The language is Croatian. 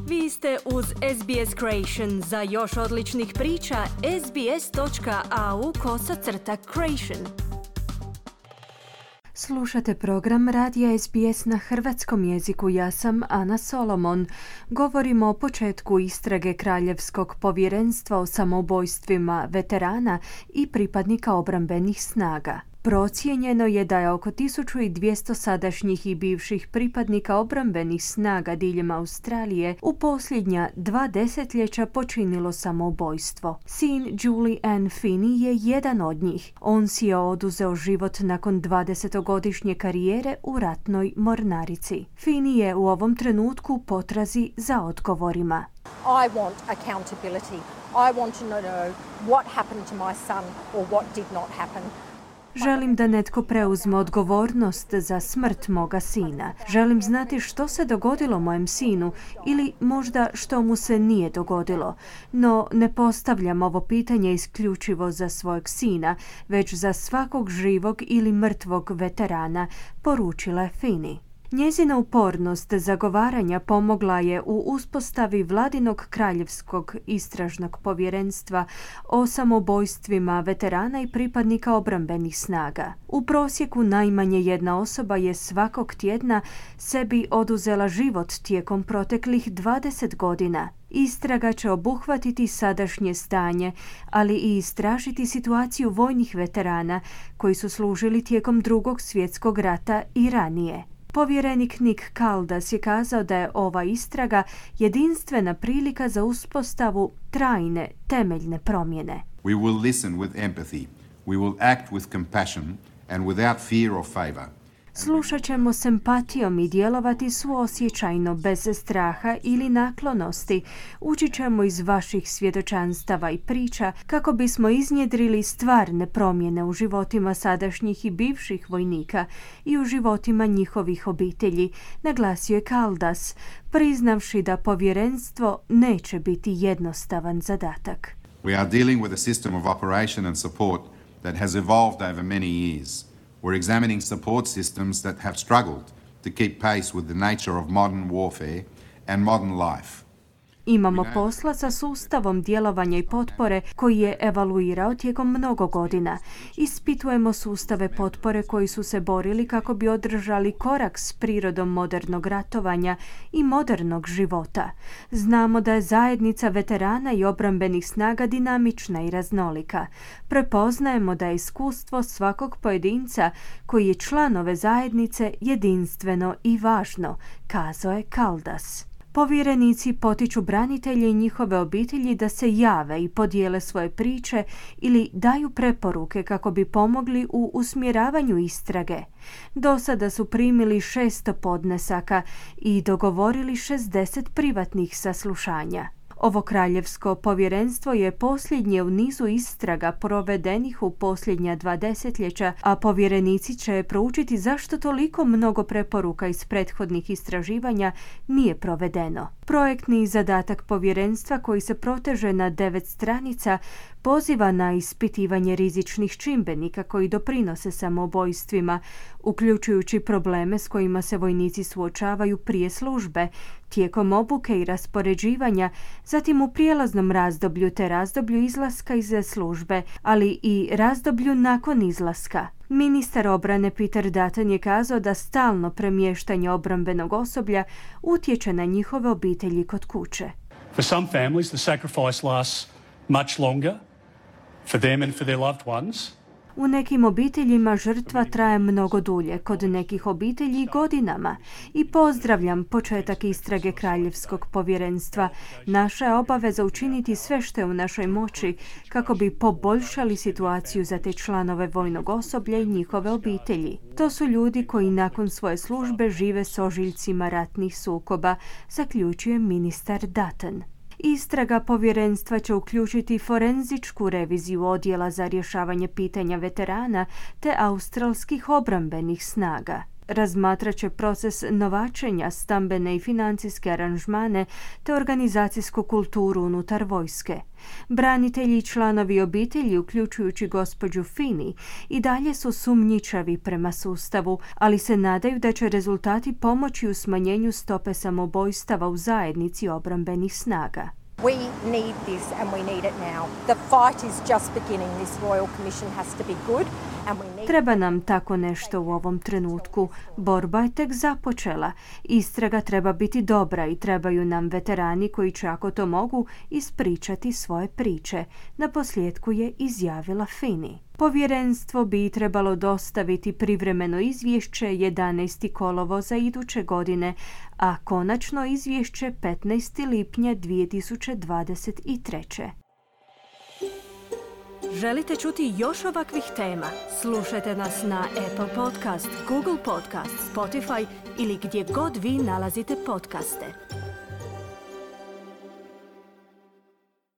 Vi ste uz SBS Creation. Za još odličnih priča, sbs.au/creation. Slušate program Radija SBS na hrvatskom jeziku. Ja sam Ana Solomon. Govorimo o početku istrage Kraljevskog povjerenstva o samoubojstvima veterana i pripadnika obrambenih snaga. Procijenjeno je da je oko 1200 sadašnjih i bivših pripadnika obrambenih snaga diljem Australije u posljednja 2 desetljeća počinilo samoubojstvo. Sin Julie Ann Finney je jedan od njih. On si je oduzeo život nakon 20-godišnje karijere u ratnoj mornarici. Finney je u ovom trenutku potrazi za odgovorima. I want accountability. I want to know what happened to my son or what did not happen. Želim da netko preuzme odgovornost za smrt moga sina. Želim znati što se dogodilo mojem sinu ili možda što mu se nije dogodilo. No ne postavljam ovo pitanje isključivo za svojeg sina, već za svakog živog ili mrtvog veterana, poručila je Finney. Njezina upornost zagovaranja pomogla je u uspostavi Vladinog kraljevskog istražnog povjerenstva o samoubojstvima veterana i pripadnika obrambenih snaga. U prosjeku najmanje jedna osoba je svakog tjedna sebi oduzela život tijekom proteklih 20 godina. Istraga će obuhvatiti sadašnje stanje, ali i istražiti situaciju vojnih veterana koji su služili tijekom Drugog svjetskog rata i ranije. Povjerenik Nick Caldas je kazao da je ova istraga jedinstvena prilika za uspostavu trajne, temeljne promjene. We will listen with empathy. We will act with compassion and without fear or favor. Slušat ćemo s empatijom i djelovati suosjećajno, bez straha ili naklonosti. Učit ćemo iz vaših svjedočanstava i priča kako bismo iznjedrili stvarne promjene u životima sadašnjih i bivših vojnika i u životima njihovih obitelji, naglasio je Caldas, priznavši da povjerenstvo neće biti jednostavan zadatak. We are dealing with a system of operation and support that has evolved over many years. We're examining support systems that have struggled to keep pace with the nature of modern warfare and modern life. Imamo posla sa sustavom djelovanja i potpore koji je evaluirao tijekom mnogo godina. Ispitujemo sustave potpore koji su se borili kako bi održali korak s prirodom modernog ratovanja i modernog života. Znamo da je zajednica veterana i obrambenih snaga dinamična i raznolika. Prepoznajemo da je iskustvo svakog pojedinca koji je član ove zajednice jedinstveno i važno, kazao je Caldas. Povjerenici potiču branitelje i njihove obitelji da se jave i podijele svoje priče ili daju preporuke kako bi pomogli u usmjeravanju istrage. Do sada su primili 600 podnesaka i dogovorili 60 privatnih saslušanja. Ovo kraljevsko povjerenstvo je posljednje u nizu istraga provedenih u posljednja 2 desetljeća, a povjerenici će proučiti zašto toliko mnogo preporuka iz prethodnih istraživanja nije provedeno. Projektni zadatak povjerenstva, koji se proteže na 9 stranica, poziva na ispitivanje rizičnih čimbenika koji doprinose samoubojstvima, uključujući probleme s kojima se vojnici suočavaju prije službe, tijekom obuke i raspoređivanja, zatim u prijelaznom razdoblju te razdoblju izlaska iz službe, ali i razdoblju nakon izlaska. Ministar obrane Peter Dutton je kazao da stalno premještanje obrambenog osoblja utječe na njihove obitelji kod kuće. For some families the sacrifice lasts much longer for them and for their loved ones. U nekim obiteljima žrtva traje mnogo dulje, kod nekih obitelji godinama. I pozdravljam početak istrage Kraljevskog povjerenstva. Naša je obaveza učiniti sve što je u našoj moći kako bi poboljšali situaciju za te članove vojnog osoblja i njihove obitelji. To su ljudi koji nakon svoje službe žive s ožiljcima ratnih sukoba, zaključuje ministar Dutton. Istraga povjerenstva će uključiti forenzičku reviziju odjela za rješavanje pitanja veterana te australskih obrambenih snaga. Razmatrat će proces novačenja, stambene i financijske aranžmane te organizacijsku kulturu unutar vojske. Branitelji i članovi obitelji, uključujući gospođu Finney, i dalje su sumnjičavi prema sustavu, ali se nadaju da će rezultati pomoći u smanjenju stope samobojstava u zajednici obrambenih snaga. We need this and we need it now. The fight is just beginning. This Royal Commission has to be good and we need... Treba nam tako nešto u ovom trenutku. Borba je tek započela. Istraga treba biti dobra i trebaju nam veterani koji će, ako to mogu, ispričati svoje priče. Naposljetku je izjavila Finney. Povjerenstvo bi trebalo dostaviti privremeno izvješće 11. kolovoza iduće godine, a konačno izvješće 15. lipnja 2023. Želite čuti još ovakvih tema? Slušajte nas na Apple Podcast, Google Podcast, Spotify ili gdje god vi nalazite podcaste.